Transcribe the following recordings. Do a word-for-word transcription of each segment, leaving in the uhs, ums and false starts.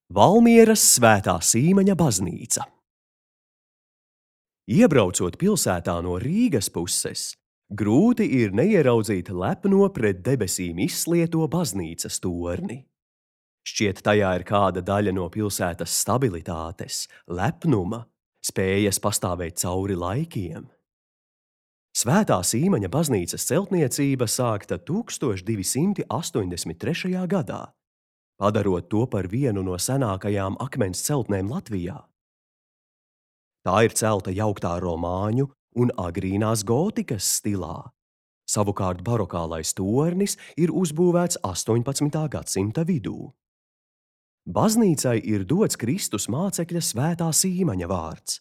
Valmieras Svētā Sīmaņa baznīca. Iebraucot pilsētā no Rīgas puses, grūti ir neieraudzīt lepno pret debesīm izslieto baznīcas torni. Šķiet, tajā ir kāda daļa no pilsētas stabilitātes, lepnuma, spējas pastāvēt cauri laikiem. Svētā Sīmaņa baznīcas celtniecība sākta tūkstoš divi simti astoņdesmit trešajā gadā, padarot to par vienu no senākajām akmens celtnēm Latvijā. Tā ir celta jauktā romāņu un agrīnās gotikas stilā. Savukārt barokālais tornis ir uzbūvēts astoņpadsmitā gadsimta vidū. Baznīcai ir dots Kristus mācekļa Svētā Sīmaņa vārds,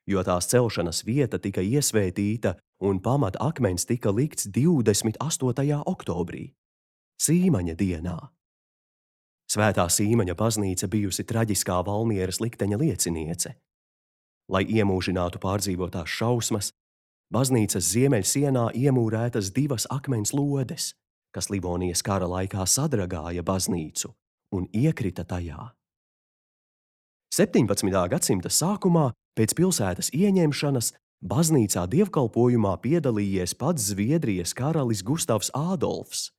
jo tās celšanas vieta tika iesvētīta un pamat akmens tika likts divdesmit astotajā oktobrī, Sīmaņa dienā. Svētā Sīmaņa baznīca bijusi traģiskā Valmieras likteņa lieciniece. Lai iemūžinātu pārdzīvotās šausmas, baznīcas ziemeļsienā iemūrētas divas akmens lodes, kas Livonijas kara laikā sadragāja baznīcu un iekrita tajā. septiņpadsmitā gadsimta sākumā, pēc pilsētas ieņemšanas, baznīcā dievkalpojumā piedalījies pats Zviedrijas karalis Gustavs Ādolfs.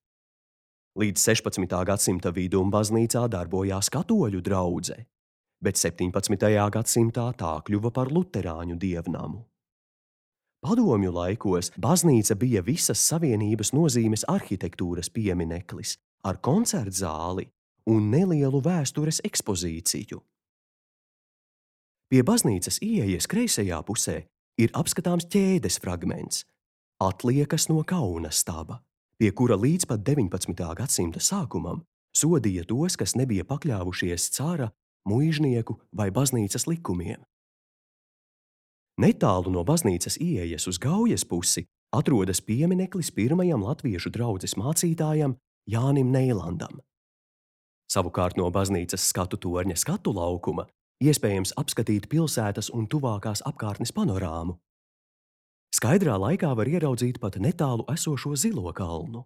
Līdz sešpadsmitā gadsimta vidum baznīcā darbojās katoļu draudze, bet septiņpadsmitajā gadsimtā tā kļuva par luterāņu dievnamu. Padomju laikos baznīca bija visas savienības nozīmes arhitektūras piemineklis ar koncertzāli un nelielu vēstures ekspozīciju. Pie baznīcas ieejas kreisajā pusē ir apskatāms ķēdes fragments, atliekas no kauna staba, pie kura līdz pat deviņpadsmitā gadsimta sākumam sodīja tos, kas nebija pakļāvušies cara, muižnieku vai baznīcas likumiem. Netālu no baznīcas ieejas uz Gaujas pusi atrodas piemineklis pirmajam latviešu draudzes mācītājam Jānim Neilandam. Savukārt no baznīcas skatu torņa skatu laukuma iespējams apskatīt pilsētas un tuvākās apkārtnes panorāmu. Skaidrā laikā var ieraudzīt pat netālu esošo Zilo kalnu.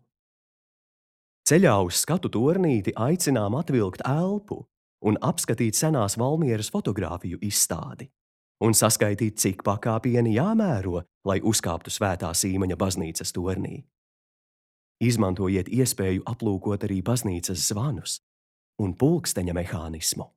Ceļā uz skatu tornīti aicinām atvilkt elpu un apskatīt senās Valmieras fotogrāfiju izstādi un saskaitīt, cik pakāpieni jāmēro, lai uzkāptu Svētā Sīmaņa baznīcas tornī. Izmantojiet iespēju aplūkot arī baznīcas zvanus un pulksteņa mehānismu.